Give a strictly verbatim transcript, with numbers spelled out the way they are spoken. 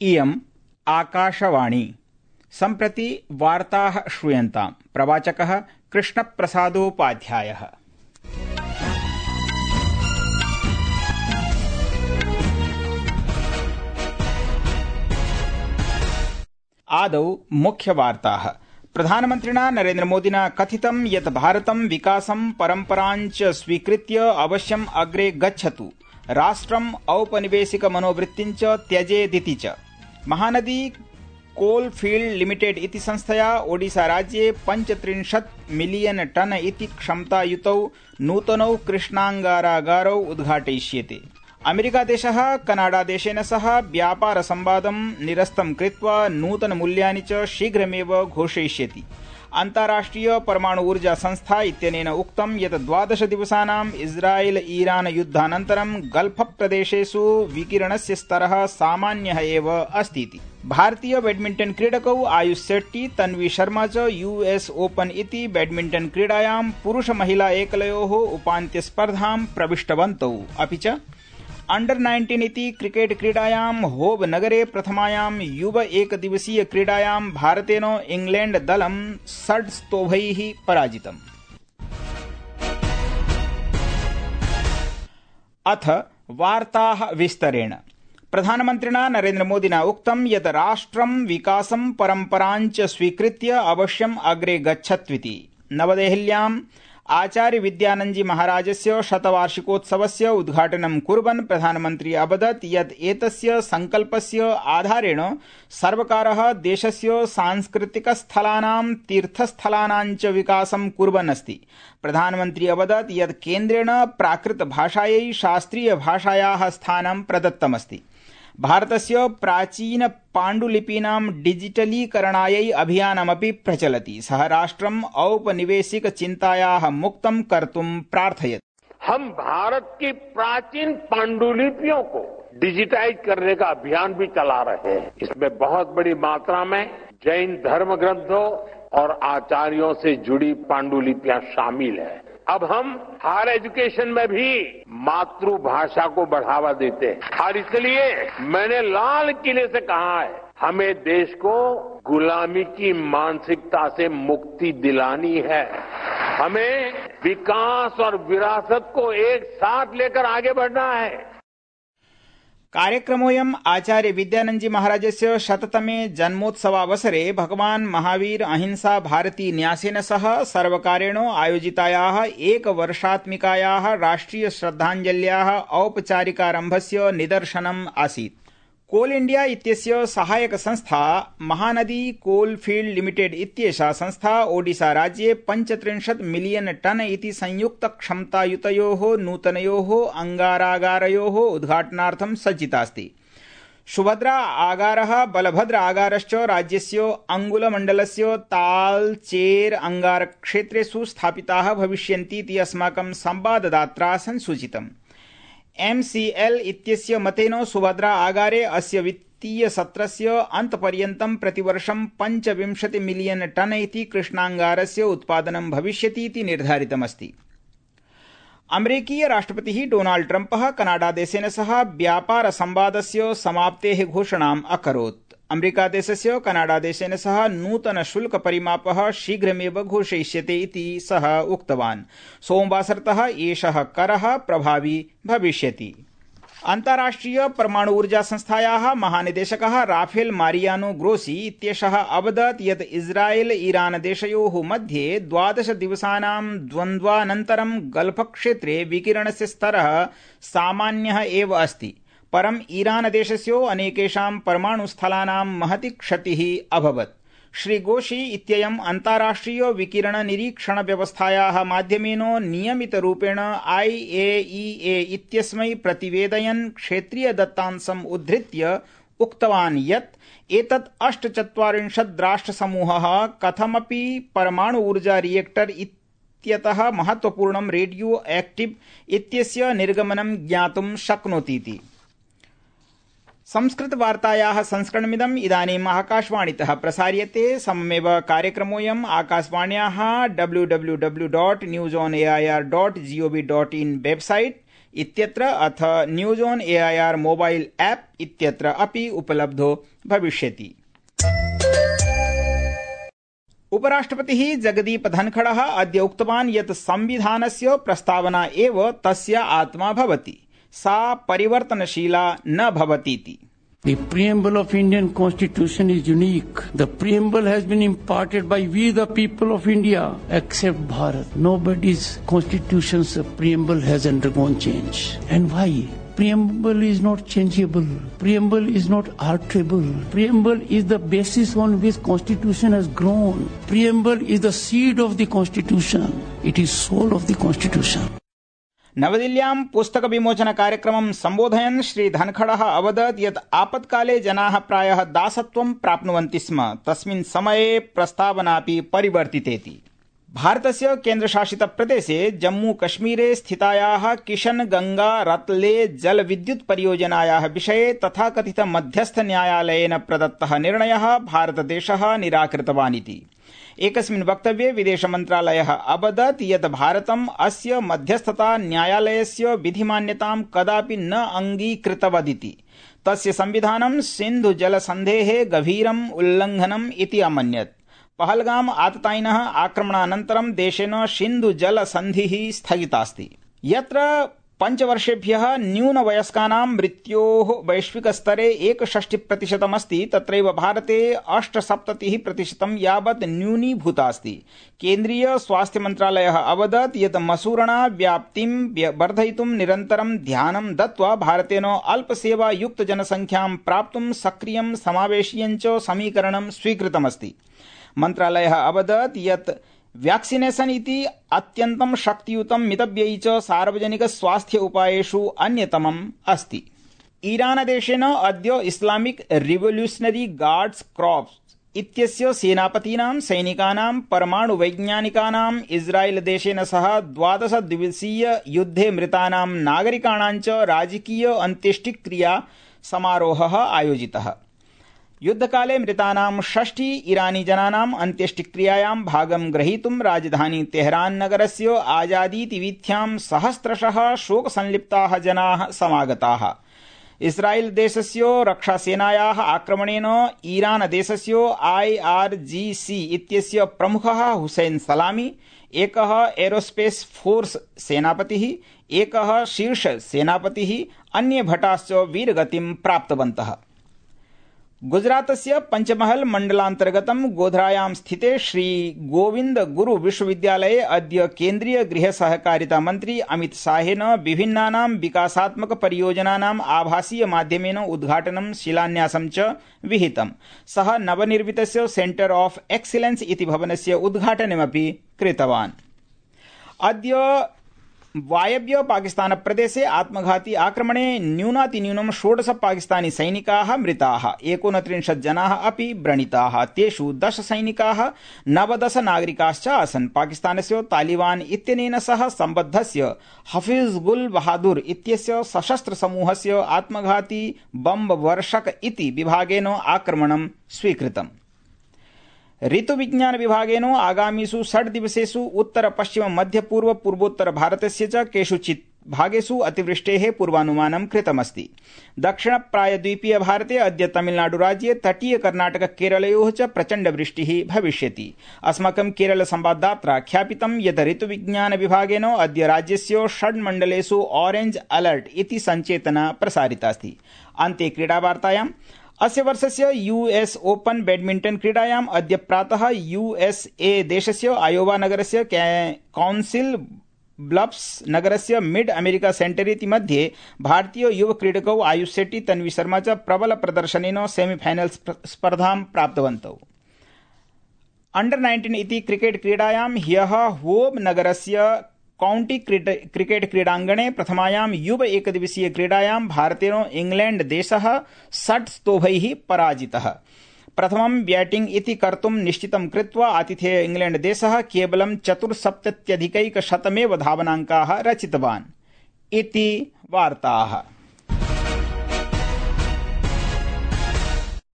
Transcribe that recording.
इयम् आकाशवाणी। सम्प्रति वार्ताः श्रूयन्ताम्। प्रवाचकः कृष्णप्रसादोपाध्यायः। आदौ मुख्यवार्ताः। प्रधानमन्त्रिणा नरेन्द्रमोदिना कथितं यत् भारतं विकासं परम्पराञ्च स्वीकृत्य अवश्यम् अग्रे गच्छतु, राष्ट्रम् औपनिवेशिक मनोवृत्तिञ्च त्यजेदिति च। महानदी कोलफील्ड लिमिटेड इति संस्थया ओडिशा राज्ये पञ्चत्रिंशत् मिलियन टन इति क्षमतायुतौ नूतनौ कृष्णांगारागारौ उद्घाटयिष्यते। अमेरिकादेशः कनाडादेशेन सह व्यापारसंवादं निरस्तं कृत्वा नूतनमूल्यानि च शीघ्रमेव घोषयिष्यति। अन्ताराष्ट्रिय परमाणु ऊर्जा संस्था इत्यनेन उक्तं यत् द्वादश दिवसानां इस्राएल ईरान युद्धानन्तरं गल्फ प्रदेशेषु विकिरणस्य स्तरः सामान्यः एव अस्तीति। भारतीय बैडमिंटन क्रीडकौ आयुष शेट्टी तन्वी शर्मा च यूएस ओपन इति बैडमिंटन क्रीडायां पुरुष महिला एकलयोः उपान्त्यस्पर्धां प्रविष्टवन्तौ। अपि च अंडर नाइन्टीन इति क्रिकेट क्रीडायां होव नगरे प्रथमायां युव एकदिवसीय क्रीडायां भारतेन इंग्लैंड दलं षड्स्तोभैः पराजितम्। अथ वार्ताः विस्तरेण। प्रधानमन्त्रिणा नरेन्द्रमोदिना उक्तं यत् राष्ट्रं विकासं परम्पराञ्च स्वीकृत्य अवश्यम् अग्रे गच्छत्विति। नवदेहल्याम् आचार्य विद्यानन्दजी महाराजस्य शतवार्षिकोत्सवस्य उद्घाटनं कुर्वन् प्रधानमन्त्री अवदत् यत् एतस्य संकल्पस्य आधारेण सर्वकारः देशस्य सांस्कृतिकस्थलानां तीर्थस्थलानां च विकासं कुर्वन् अस्ति। प्रधानमन्त्री अवदत् यत् केन्द्रेण प्राकृतभाषायै शास्त्रीयभाषायाः स्थानं प्रदत्तमस्ति। भारतस्य प्राचीन पाण्डुलिपीनां डिजिटलीकरणायै अभियानमपि प्रचलति। सः राष्ट्रम् औपनिवेशिक चिन्तायाः मुक्तं कर्तुं प्रार्थयत्। हम भारत की प्राचीन पांडुलिपियों को डिजिटाइज करने का अभियान भी चला रहे हैं। इसमें बहुत बड़ी मात्रा में जैन धर्म ग्रंथों और आचार्यों से जुड़ी पांडुलिपियां शामिल हैं। अब हम हायर एजुकेशन में भी मातृभाषा को बढ़ावा देते हैं और इसलिए मैंने लाल किले से कहा है, हमें देश को गुलामी की मानसिकता से मुक्ति दिलानी है। हमें विकास और विरासत को एक साथ लेकर आगे बढ़ना है। कार्यक्रमोऽयम् आचार्य विद्यानन्दजी महाराजस्य शततमे जन्मोत्सवावसरे भगवान् महावीर अहिंसा भारती न्यासेन सह सर्वकारेण आयोजितायाः एकवर्षात्मिकायाः राष्ट्रिय श्रद्धाञ्जल्याः औपचारिकारम्भस्य निदर्शनम् आसीत्। कोल इंडिया इत्यस्य सहायक संस्था महानदी कोलफील्ड लिमिटेड इत्येषा संस्था ओडिशा राज्ये पञ्चत्रिंशत् मिलियन टन इति संयुक्त क्षमतायुतयोः नूतनयोः अंगारागारयोः उद्घाटनार्थं सज्जितास्ति। सुभद्रा आगारः बलभद्र आगारश्च राज्यस्य अंगुलमण्डलस्य तालचेर अंगारक्षेत्रेषु स्थापिताः भविष्यन्तीति अस्माकं संवाददात्रा संसूचितम्। एमसीएल इत्यस्य मतेन सुभद्रा आगारे अस्य वित्तीय सत्रस्य अन्तपर्यन्तं प्रतिवर्षं पञ्चविंशति मिलियन टन इति कृष्णांगारस्य उत्पादनं भविष्यतीति निर्धारितमस्ति। अमेरिकीय राष्ट्रपतिः डोनाल्ड ट्रम्पः कनाडादेशेन सह व्यापार संवादस्य समाप्तेः घोषणाम् अकरोत्। अमेरिकादेशस्य कनाडादेशेन सह नूतन शुल्क परिमापः शीघ्रमेव घोषयिष्यते इति सः उक्तवान्। सोमवासरतः एषः करः प्रभावी भविष्यति। अन्ताराष्ट्रिय परमाणु ऊर्जा संस्थायाः महानिदेशकः राफेल मारियानो ग्रोसी इत्येषः अवदत् यत् इस्राएल ईरान देशयोः मध्ये द्वादश दिवसानां द्वन्द्वानन्तरं गल्फ क्षेत्रे विकिरणस्य स्तरः सामान्यः एव अस्ति। परं ईरान देशस्य अनेकेषां परमाणुस्थलानां महती क्षतिः अभवत्। श्री गोशी इत्ययम् अन्ताराष्ट्रिय विकिरण निरीक्षण व्यवस्थायाः माध्यमेन नियमितरूपेण आईएईए इत्यस्मै प्रतिवेदयन् क्षेत्रीय दत्तांशम् उद्धृत्य उक्तवान् यत् एतत् अष्टचत्वारिंशत् राष्ट्रसमूहः कथमपि परमाणु ऊर्जा रिएक्टर इत्यतः महत्वपूर्णं रेडियो एक्टिव इत्यस्य निर्गमनं ज्ञातुं शक्नोतीति। संस्कृतवार्तायाः संस्करणमिदम् इदानीम् आकाशवाणीतः प्रसार्यते। सममेव कार्यक्रमोऽयम् आकाशवाण्याः W W W dot news on AIR dot GOV dot IN website इत्यत्र अथ news on AIR mobile app इत्यत्र अपि उपलब्धो भविष्यति। उपराष्ट्रपतिः जगदीप धनखडः अद्य उक्तवान् यत् संविधानस्य प्रस्तावना एव तस्य आत्मा भवति, सा परिवर्तनशीला न भवतीति। The preamble of Indian Constitution is unique. The preamble has been imparted by we the people of India, except Bharat. Nobody's constitution's preamble has undergone change. And why? Preamble is not changeable. Preamble is not alterable. Preamble is the basis on which Constitution has grown. Preamble is the seed of the Constitution. It is soul of the Constitution. नवदिल्ल्यां पुस्तक विमोचन कार्यक्रमं सम्बोधयन् श्री धनखडः अवदत् यत् आपत्काले जनाः प्रायः दासत्वं प्राप्नुवन्ति स्म, तस्मिन् समये प्रस्तावनापि परिवर्तितेति। भारतस्य केन्द्रशासित प्रदेशे जम्मू कश्मीरे स्थितायाः किशन गंगा रत्ले जलविद्युत् परियोजनायाः विषये तथाकथित मध्यस्थ न्यायालयेन प्रदत्तः निर्णयः भारतदेशः निराकृतवानिति। एकस्मिन् वक्तव्ये विदेश मन्त्रालयः अवदत् यत् भारतम् अस्य मध्यस्थता न्यायालयस्य विधिमान्यतां कदापि न अङ्गीकृतवदिति। तस्य संविधानं सिन्धु जलसन्धेः गभीरम् उल्लङ्घनम् इति अमन्यत्। पहलगाम आततायिनः आक्रमणानन्तरं देशेन सिन्धु जलसन्धिः स्थगितास्ति, यत्र पञ्चवर्षेभ्यः न्यूनवयस्कानां मृत्योः वैश्विकस्तरे एकषष्टि प्रतिशतमस्ति, तत्रैव भारते अष्टसप्ततिः प्रतिशतं यावत् न्यूनीभूतास्ति। केन्द्रीय स्वास्थ्य मन्त्रालयः अवदत् यत् मसूरणा व्याप्तिं वर्धयितुं निरन्तरं ध्यानं दत्त्वा भारतेन अल्पसेवायुक्त जनसंख्यां प्राप्तुं सक्रियं समावेशीयं च समीकरणं स्वीकृतमस्ति। मन्त्रालयः अवदत् यत् व्याक्सिनेशन इति अत्यन्तं शक्तियुतं मितव्ययी च सार्वजनिक स्वास्थ्य उपायेषु अन्यतमम् अस्ति। ईरानदेशेन अद्य इस्लामिक रिवोल्यूशनरी गार्ड्स क्रॉप्स इत्यस्य सेनापतीनां सैनिकानां परमाणुवैज्ञानिकानां इस्राएल देशेन सह द्वादश दिवसीय युद्धे मृतानां नागरिकाणां च राजकीय अन्त्येष्टिक्रिया समारोहः आयोजितः। युद्धकाले मृतानां षष्टि ईरानी जनानाम् अन्त्येष्टिक्रियायां भागं ग्रहीतुं राजधानी तेहरान नगरस्य आजादीति वीथ्यां सहस्रशः शोकसंलिप्ताः जनाः समागताः। इस्राएल देशस्य रक्षासेनायाः आक्रमणेन ईरान देशस्य आईआरजीसी इत्यस्य प्रमुखः हुसैन सलामी, एकः एरोस्पेस फोर्स सेनापतिः, एकः शीर्ष सेनापतिः, अन्ये भटाश्च वीरगतिं प्राप्तवन्तः। गुजरातस्य पंचमहल मण्डलान्तर्गतं गोध्रायां स्थिते श्री गोविंद गुरु विश्वविद्यालये अद्य केन्द्रीय गृह सहकारिता मन्त्री अमित शाहेन विभिन्नानां विकासात्मक परियोजनानाम् आभासीय माध्यमेन उद्घाटनं शिलान्यासं च विहितम्। सः नवनिर्मितस्य सेंटर ऑफ एक्सीलेंस इति भवनस्य उद्घाटनमपि कृतवान्। अद्य वायव्य पाकिस्तान प्रदेशे आत्मघाती आक्रमणे न्यूनातिन्यूनं षोडश पाकिस्तानी सैनिकाः मृताः, एकोनत्रिंशत् जनाः अपि व्रणिताः। तेषु दश सैनिकाः नवदश नागरिकाश्च आसन्। पाकिस्तानस्य तालिबान इत्यनेन सह सम्बद्धस्य हफीजुल बहादुर इत्यस्य सशस्त्र समूहस्य आत्मघाती बम्ब वर्षक इति विभागेन आक्रमणं स्वीकृतम्। ऋतुविज्ञान विभागेन आगामीषु षड् दिवसेषु उत्तर पश्चिम मध्य पूर्व पूर्वोत्तर भारतस्य च केषुचित् भागेषु अतिवृष्टेः पूर्वानुमानं कृतमस्ति। दक्षिण प्रायद्वीपीय भारते अद्य तमिलनाडुराज्ये तटीय कर्णाटक केरलयोः च प्रचण्ड वृष्टिः भविष्यति। अस्माकं केरल संवाददात्रा ख्यापितं यत् ऋतुविज्ञान विभागेन अद्य राज्यस्य षड् मण्डलेषु ऑरेंज अलर्ट इति सञ्चेतना प्रसारितास्ति। अन्ते क्रीडावार्तायाम् अस्य वर्षस्य यूएस ओपन बैडमिंटन क्रीडायाम् अद्य प्रातः यूएसए देशस्य आयोवा नगरस्य काउंसिल ब्लफ्स नगरस्य मिड अमेरिका सेंटर इति मध्ये भारतीय युव क्रीडकौ आयुष शेट्टी तन्वी शर्मा च प्रबल प्रदर्शनेन सेमीफाइनल स्पर्धां प्राप्तवन्तौ। अंडर नाइन्टीन इति क्रिकेट क्रीडायां ह्यः होब नगरस्य काउंटी क्रिकेट क्रीडांगणे प्रथमायां युव एकदिवसीय क्रीडायां भारतेन इंग्लैंड देशः षट् स्तोभैः पराजितः। प्रथमं बैटिंग इति कर्तुं निश्चितं कृत्वा आतिथेय इंग्लैंड देशः केवलं चतुर्सप्तत्यधिकैकशतमेव धावनाङ्काः रचितवान् इति वार्ताः।